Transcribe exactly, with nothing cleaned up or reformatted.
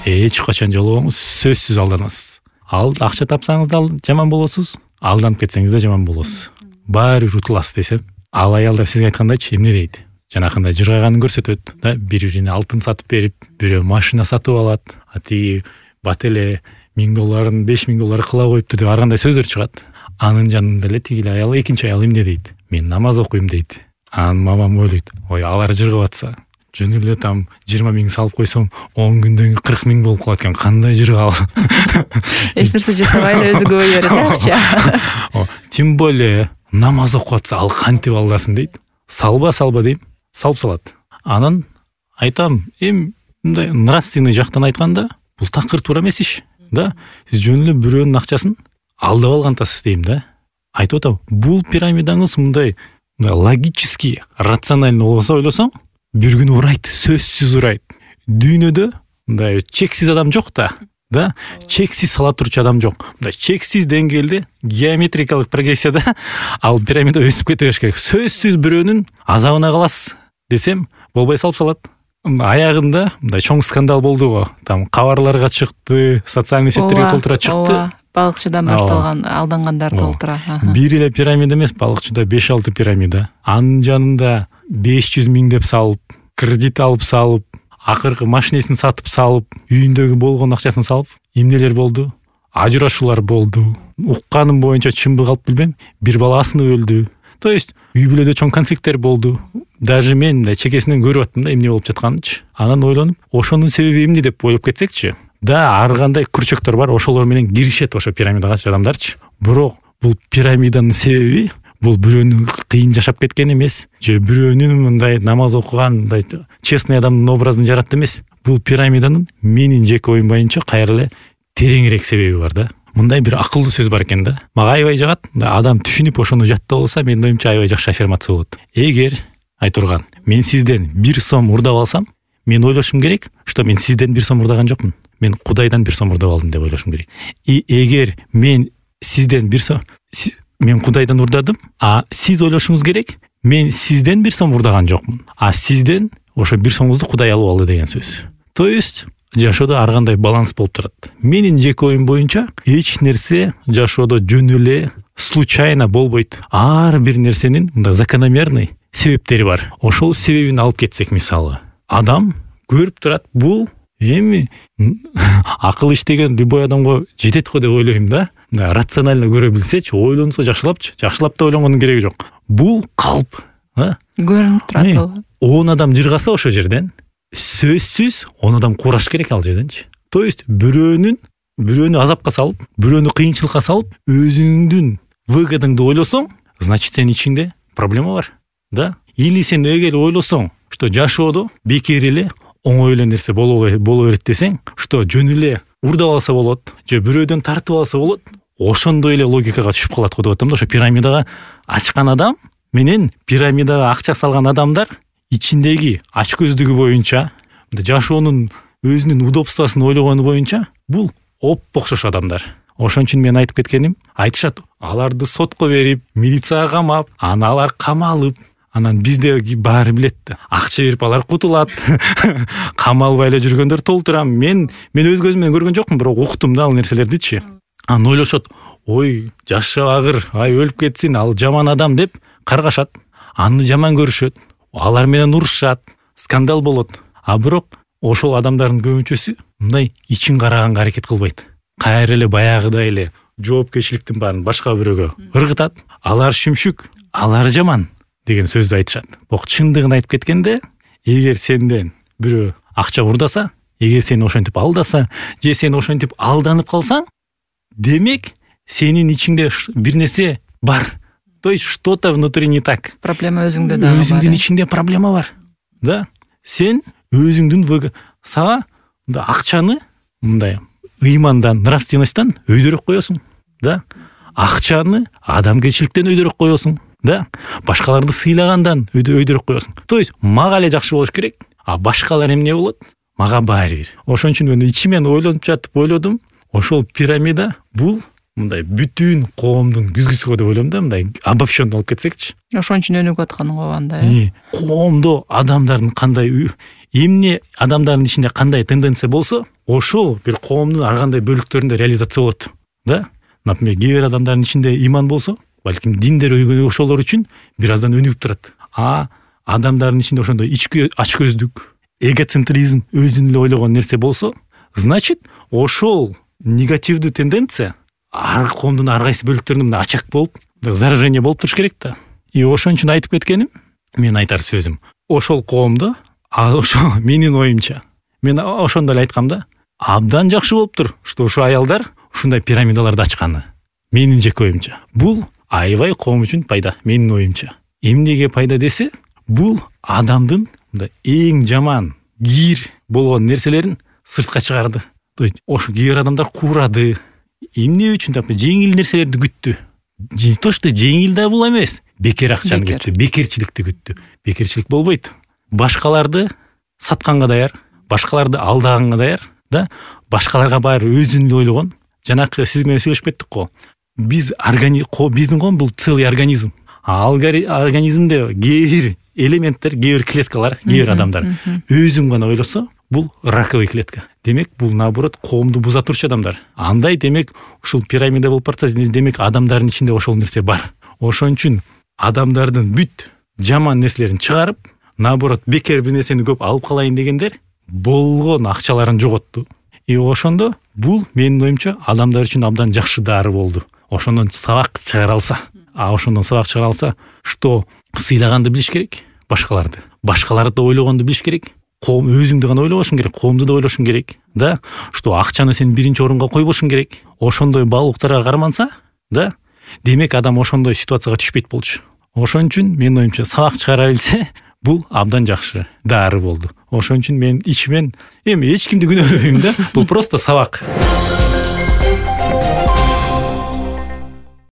эч качан жолугуңуз сөзсүз алданасыз. Ал акча тапсаңыз да жаман болосуз, алданып кетсеңиз да жаман болосуз. Баары бир утуласыз десем, ал аялдар сизге айткандайчы эмне дейт? Жанакындай жыргаганын көрсөтөт да, бири-бирине алтын сатып берип, бирөө машина сатып алат, а тиги бат эле миң долларын беш миң доллар кыла коюпту деп ар кандай сөздөр чыгат. Анын жанында эле тиги аял, экинчи аял эмне дейт? Мен намаз окуйм дейт. Анын мамам ойлойт, ой, алар жыргап атса, жөн эле там жыйырма миң салып койсом, он күндөн кырк миң болуп калат экен, кандай жыргал. Эч нерсе жасабай эле өзү көбөй берет акча. Тем более намаз окуп атса, ал кантип алдасын дейт. Салба салба дейм, салып салат. Анан айтам, эми мындай нравственный жактан айтканда, бул такыр туура эмес иш. Да, сиз жөн эле бирөөнүн акчасын алдап алгантасыз дейм да. Айтып атам, бул пирамидаңыз мындай логически, рационально болсо ойлосоң, бир күн урайт, сөзсүз урайт. Дүйнөдө мындай чексиз адам жок да. Да, чексиз сала турчу адам жок. Мындай чексиз деңгээлде геометрикалык прогрессияда ал пирамида өсүп кете бериш керек. Сөзсүз бирөөнүн азабына каласыз десем, болбой салып салат. Аягында мындай чоң скандал болду го. Там кабарларга чыкты, социальный сеттерге толтура чыкты. Балыкчыдан башталган алдангандар толтура. Бир эле пирамида эмес, балыкчыда беш алты пирамида. Анын жанында беш жүз миң деп салып, кредит алып салып, акыркы машинесин сатып салып, үйүндөгү болгон акчасын салып, эмнелер болду? Ажырашуулар болду. Укканым боюнча чынбы калп билбем, бир баласын өлдү. То есть үй бүлөдө чоң конфликттер болду. Даже мен чекесинен көрүп аттым да эмне болуп жатканынчы. Анан ойлонуп, ошонун себеби эмне деп ойлоп кетсекчи. Да, ар кандай күрчөктөр бар, ошолор менен киришет ошо пирамидага адамдарчы. Бирок бул пирамиданын себеби бул бирөөнүн кыйын жашап кеткени эмес, же бирөөнүн мындай намаз окуган, мындай честный адамдын образын жаратты эмес. Бул пирамиданын менин жеке оюм боюнча кайра эле тереңирээк себеби бар да. Мындай бир акылдуу сөз бар экен да. Мага аябай жагат. Адам түшүнүп ошону жаттап алса, менин оюмча аябай жакшы аффирмация болот. Эгер айтурган, мен сизден бир сом урдап алсам, мен ойлошум керек, что мен сизден бир сом урдаган жокмун. Мен Кудайдан бир сом урдап алдым деп ойлошум керек. И эгер мен сизден бир сом мен Кудайдан урдадым, а сиз ойлошуңуз керек, мен сизден бир сом урдаган жокмун. А сизден ошо бир сомуңузду Кудай алып алды деген сөз. То есть жашоодо ар кандай баланс болуп турат. Менин жеке оюм боюнча эч нерсе жашоодо жөн эле случайно болбойт. Ар бир нерсенин мындай закономерный себептери бар. Ошол себебин алып кетсек, мисалы, адам көрүп турат, бул эми акыл иштеген любой адамга жетет го деп ойлойм да. Рационально көрө билсечи, ойлонсо жакшылапчы, жакшылап да ойлонгондун кереги жок. Бул калп, а? Көрүнүп турат ал. он адам жыргаса ошо жерден, сөзсүз он адам кураш керек ал жерденчи. То есть бирөөнүн бирөөнү азапка салып, бирөөнү кыйынчылыкка салып, өзүңдүн выгодаңды ойлосоң, значит сенин ичиңде проблема бар, да? Или сен эгер ойлосоң, что жашоодо бекер эле оңой эле нерсе боло берет десең, что жөн эле урдап алса болот, же бирөөдөн тартып алса болот, ошондой эле логикага түшүп калат го деп атам да. Ошо пирамидага ачкан адам менен пирамидага акча салган адамдар ичиндеги ачкөздүгү боюнча, жашоонун өзүнүн удобствосын ойлогону боюнча бул оп-окшош адамдар. Ошон үчүн мен айтып кеткеним, айтышат, аларды сотко берип, милицияга камап, анан алар камалып, анан бизде баары билет да. Акча берип алар кутулат. Камалбай эле жүргөндөр толтурам. Мен мен өз көзүм менен көргөн жокмун, бирок уктум да ал нерселердичи. Анан ойлошот, ой, жашабагыр, ай өлүп кетсин, ал жаман адам деп каргашат. Аны жаман көрүшөт. Алар менен урушат, скандал болот. А бирок ошол адамдардын көбүнчөсү мындай ичин караганга аракет кылбайт. Кайра эле баягыдай эле жоопкерчиликтин баарын башка бирөөгө ыргытат. Алар шүмшүк, алар жаман деген сөздү айтышат. Бирок чындыгын айтып кеткенде, эгер сенден бирөө акча урдаса, эгер сени ошентип алдаса, же сен ошентип алданып калсаң, демек сенин ичиңде бир нерсе бар. То есть что-то внутри не так. Проблема өзүңдө да бар. Өзүңдүн ичиңде проблема бар. Да? Сен өзүңдүн сага акчаны мындай ыймандан, нравственностьтан өйдөрөк коесуң. Да? Акчаны адамгерчиликтен өйдөрөк коесуң. Да? Башкаларды сыйлагандан өйдөрөк коесуң. То есть мага эле жакшы болуш керек, а башкалар эмне болот? Мага баары бир. Ошон үчүн мен ичимен ойлонуп жатып ойлодум, ошол пирамида бул мындай бүтүн коомдун күзгүсү деп ойлойм да, мындай обобщенно алып кетсекчи. Ошон үчүн өнүгүп атканың го анда. э? Коомдо адамдардын кандай эмне адамдардын ичинде кандай тенденция болсо, ошол бир коомдун ар кандай бөлүктөрүндө реализация болот. Да? Например, кээ бир адамдардын ичинде иман болсо, балким диндер өйгөн ошолор үчүн бир аздан өнүгүп турат. А адамдардын ичинде ошондой ички ачкөздүк, эгоцентризм, өзүн эле ойлогон нерсе болсо, значит, ошол негативдүү тенденция ар коомдун ар кайсы бөлүктөрүндө ачак болуп, заражение болуп туруш керек да. И ошон үчүн айтып кеткеним, мен айтар сөзүм, ошол коомдо, ошо менин оюмча, мен ошондо эле айткам да, абдан жакшы болуптур, что ошо аялдар ушундай пирамидаларды ачканы. Менин жеке оюмча. Бул аябай коом үчүн пайда, менин оюмча. Эмнеге пайда десе, бул адамдын эң жаман, кир болгон нерселерин сыртка чыгарды. То есть ошо кээ бир адамдар куурады. Эмне үчүн деп жеңил нерселерди күттү. Не то что жеңил да бул эмес. Бекер акчаны күттү, бекерчиликти күттү. Бекерчилик болбойт. Башкаларды сатканга даяр, башкаларды алдаганга даяр, да? Башкаларга баары өзүн эле ойлогон. Жанакы сиз менен сүйлөшүп кеттик го. Биз организм, биздин коом бул целый организм. Ал организмде кээ бир элементтер, кээ бир клеткалар, кээ бир адамдар өзүн гана ойлосо, бул раковый клетка. Демек, бул наоборот коомду буза турчу адамдар. Андай демек, ушул пирамида болуп барса, демек адамдардын ичинде ошол нерсе бар. Ошон үчүн адамдардын бүт жаман нерселерин чыгарып, наоборот бекер бир нерсени көп алып калайын дегендер болгон акчаларын жоготту. И ошондо бул менин оюмча адамдар үчүн абдан жакшы дары болду. Ошондон сабак чыгара алса, а ошондон сабак чыгара алса, что сыйлаганды билиш керек, башкаларды. Башкаларды ойлогонду билиш керек. Коом өзүңдү гана ойлобошуң керек, коомду да ойлошуң керек, да? Что акчаны сен биринчи орунга койбошуң керек. Ошондой баалуулуктарга карманса, да? Демек адам ошондой ситуацияга түшпөйт болчу. Ошон үчүн менин оюмча сабак чыгара билсе, бул абдан жакшы дары болду. Ошон үчүн мен ичимен эми эч кимди күнөөлөбөйм да, бул просто сабак.